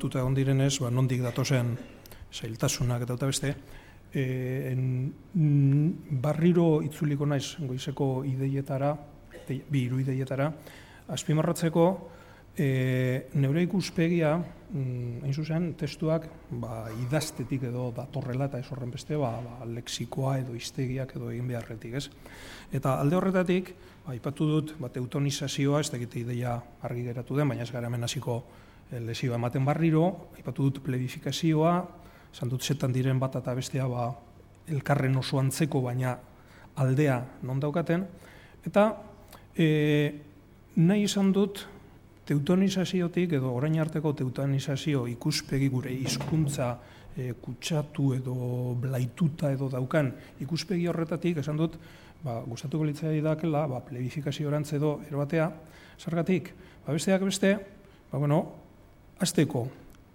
lotuta egon direnez, nondik datozen zailtasunak eta beste, barriro itzuliko naiz goizeko ideietara, bi hiru ideietara, azpimarratzeko neure ikuspegia, hain zuzen, testuak idaztetik edo datorrela eta ez horren beste, lexikoa edo hiztegiak edo egin beharretik, ez? Eta alde horretatik, aipatu dut, eutonizazioa, ez dakite ideia argi geratu den, baina ez gara hemen hasiko lesioa ematen barriro, aipatu dut plebifikazioa, esan dut zetan diren bat eta bestea elkarren oso antzeko, baina aldea non daukaten, eta nahi izan dut teutonizaziotik edo orain arteko teutonizazio ikuspegi gure hizkuntza kutsatu edo blaituta edo daukan ikuspegi horretatik, esan dut, gustatuko litzai dakela, plebifikazio-orantz edo erobatea, zergatik, besteak beste, azteko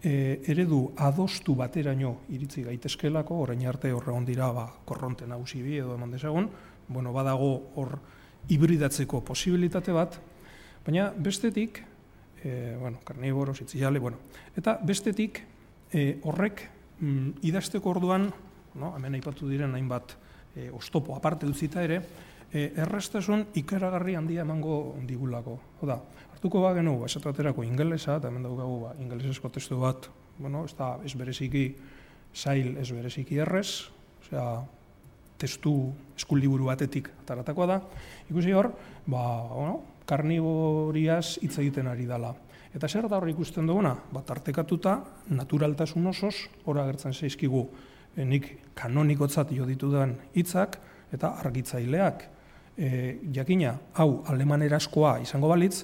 eredu adostu bateraino iritzi gaitezkelako, orain arte horregon dira korronte nagusi bi edo eman dezagun, badago hor hibridatzeko posibilitate bat, baina bestetik, karniboro, zitzilale, eta bestetik horrek idazteko orduan, hemen aipatu diren hainbat oztopo aparte utzita ere, erraztasun ikaragarri handia emango digulako. Oda, hartuko bagenu, esatu baterako ingelesa, eta hemen daukagu ingelesesko testu bat, ez bereziki zail, ez bereziki errez, testu eskuldiburu batetik ataratakoa da, ikusi hor, karniboriaz hitz egiten ari dela. Eta zer da hor ikusten duguna? Tartekatuta, naturaltasun osoz, hor agertzen zaizkigu nik kanonikotzat jo ditudan hitzak eta argitzaileak. Jakina, hau alemanerazkoa izango balitz,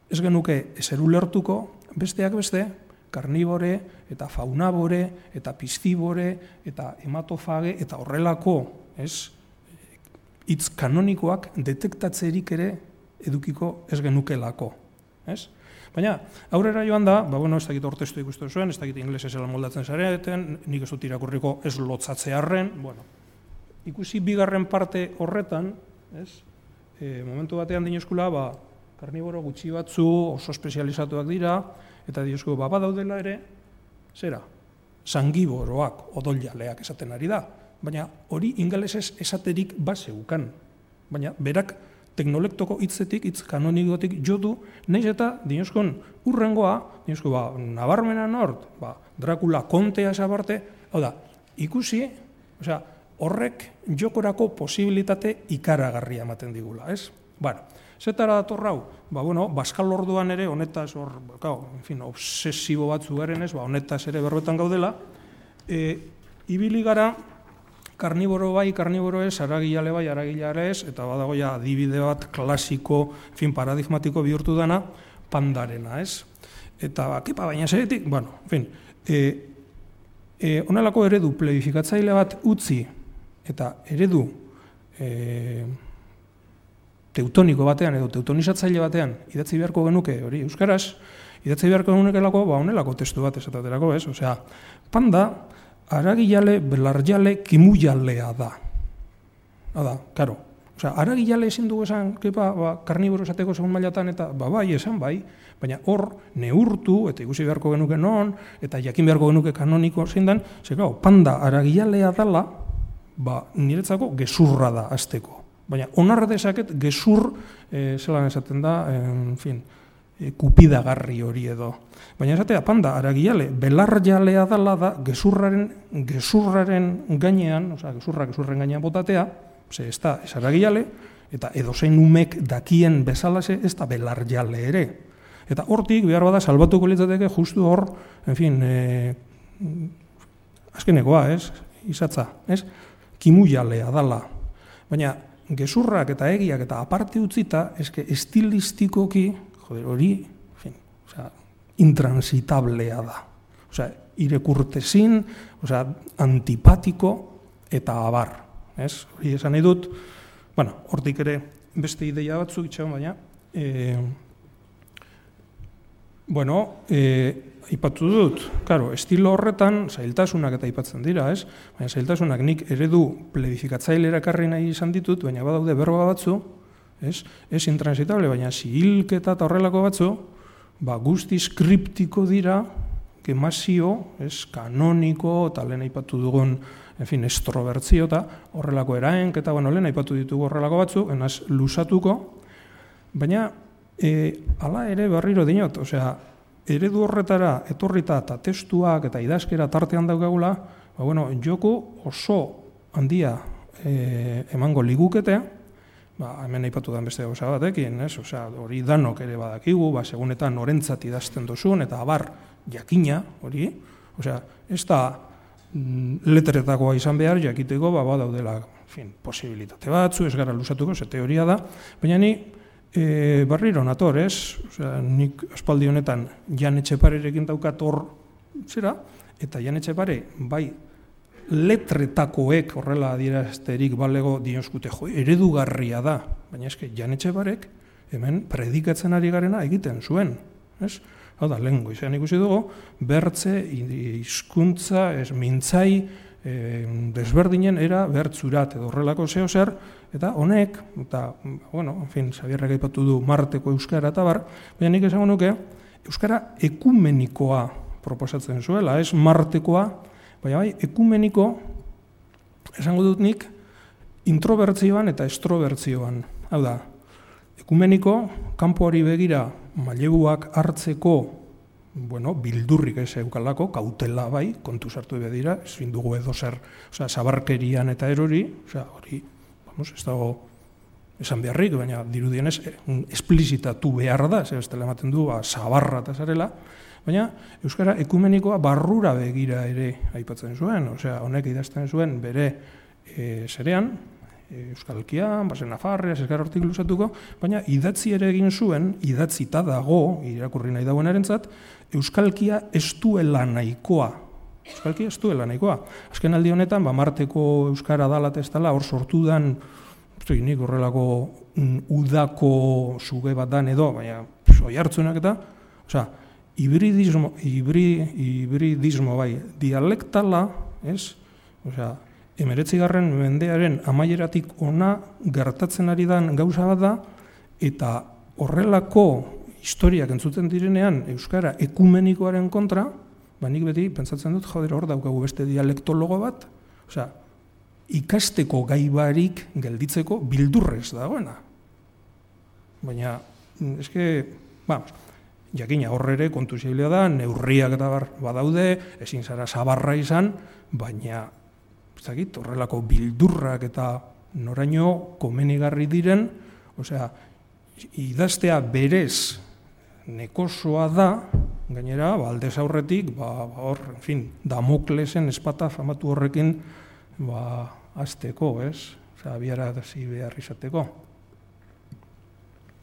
ez genuke ezer ulertuko, besteak beste, karnibore eta faunabore eta piscibore eta hematofage eta horrelako hitz kanonikoak detektatzerik ere edukiko ez genukelako. Baina, aurrera joan da, ez dakit ortestu ikusten zuen, ez dakit inglesez elan moldatzen zareten, nik ez dut irakurriko ez lotzatzearren, ikusi bigarren parte horretan, momentu batean dinozkula, karniboro gutxi batzu oso espezializatuak dira, eta diozko, badaudela ere, zera, sangiboroak, odoljaleak esaten ari da, baina hori ingelesez esaterik baseukan, baina berak teknolektoko hitzetik, hitz kanonikotik jodu, nahiz eta dinozkon urrengoa, dinozko nabarmena nort, Dracula kontea esabarte, hau da, ikusi, horrek jokorako posibilitate ikaragarria ematen digula, ez? Zetara datorrau, Baskal orduan ere, honetaz, obsesibo batzu garen ez, honetaz ere berbetan gaudela, ibili gara, karniboro bai, karniboro ez, aragilale bai, aragilare ez, eta badagoia adibide bat klasiko, paradigmatiko bihurtu dana, pandarena, ez? Eta, baina zeretik, honelako eredu plebifikatzaile bat utzi, eta eredu teutoniko batean edo teutonizatzaile batean idatzi beharko genuke, hori euskaraz, idatzi beharko genukelako, honelako testu bat esaterako, ez? Osea, panda, aragilale, belarjale, kimujalea da. Hada, karo. Osea, aragilale ezin dugu esan, karniboro esateko segun mailatan, eta bai, esan bai, baina hor neurtu, eta ikusi beharko genuke non, eta jakin beharko genuke kanoniko zein den, panda aragilea dala, niretzako gezurra da azteko. Baina onarra dezaket gezur, zelan esaten da, kupidagarri hori edo. Baina esatea, panda, aragilale, belarjalea dala da gezurraren gainean, gezurren gainean botatea, ez da, ez aragilale, eta edozein umek dakien bezalase, ez da belarjale ere. Eta hortik, behar bada, salbatuko litzateke justu hor, azkenekoa, izatza, kimujalea dala. Baina, gezurrak eta egiak eta aparte utzita, estilistikoki, hori, intransitablea da. Irekurtezin, antipatiko eta abar. Hori esan nahi dut, hortik ere beste ideia batzuk itxagon, baina, ipatu dut, estilo horretan zailtasunak eta ipatzen dira, baina zailtasunak nik eredu plebifikatzaile erakarri nahi izan ditut, baina badaude berba batzu, ez intransitable, baina zihilketa eta horrelako batzu, guztiz kriptiko dira, kemazio, kanoniko, eta lehen aipatu dugun, estrobertzio, eta horrelako eraenk, eta lehen aipatu ditugu horrelako batzu, enaz lusatuko, baina, hala ere berriro dinot, eredu horretara etorrita eta testuak eta idazkera tartean daukagula, joko oso handia emango ligukete, hemen aipatu den beste gauza batekin, hori danok ere badakigu, segunetan norentzat idazten duzun, eta abar jakina, hori, ez da letretakoa izan behar, jakiteko badaudela posibilitate batzu, ez gara lusatuko, ze teoria da, baina ni barriro nator, nik aspaldi honetan Jan Etxeparerekin daukat hor zera, eta Jan Etxepare bai letretakoek horrela adierazterik balego dioskute, eredugarria da, baina eske Jan Etxeparek hemen predikatzen ari garena egiten zuen, ez? Hau da, lehen goizean ikusi dugu, bertze, hizkuntza, mintzai, desberdinen era bertzurat edo horrelako zeo zer, eta honek, eta, Xabierrek aipatu du Marteko euskara eta bar, baina nik esango nuke, euskara ekumenikoa proposatzen zuela, ez Martekoa, baina bai, ekumeniko, esango dut nik, introbertzioan eta estrobertzioan. Hau da, ekumeniko, kanpoari begira, maileguak hartzeko, bildurrik ez eukalako, kautela bai, kontu sartu bedira, ezin dugu edo zer, zabarkerian eta erori, hori, ez dago esan beharrik, baina dirudienez, esplizitatu behar da, ez dela ematen du, zabarra eta zarela, baina euskara ekumenikoa barrura begira ere aipatzen zuen, honek idazten zuen bere zerean, euskalkian, basen nafarreaz, ez gara hortik lusatuko, baina idatzi ere egin zuen, idatzita dago, irakurri nahi dagoen erentzat, euskalkia ez duela nahikoa. Euskalkia ez duela nahikoa. Azken aldi honetan, Marteko euskara dala eta ez dala, hor sortu dan, nik horrelako udako zuge bat dan edo, baina oi hartzunak eta, hibridismo bai, dialektala, ez? 19. mendearen amaieratik ona gertatzen ari den gauza bat da, eta horrelako historiak entzuten direnean euskara ekumenikoaren kontra, nik beti pentsatzen dut, hor daukagu beste dialektologo bat, ikasteko gaibarik gelditzeko bildurrez dagoena. Baina, jakina horre kontu zailia da, neurriak eta badaude, ezin zara zabarra izan, baina horrelako bildurrak eta noraino komenigarri diren, idaztea berez nekosoa da, gainera, aldez aurretik, Damoklesen espata famatu horrekin azteko, abiarazi behar izateko.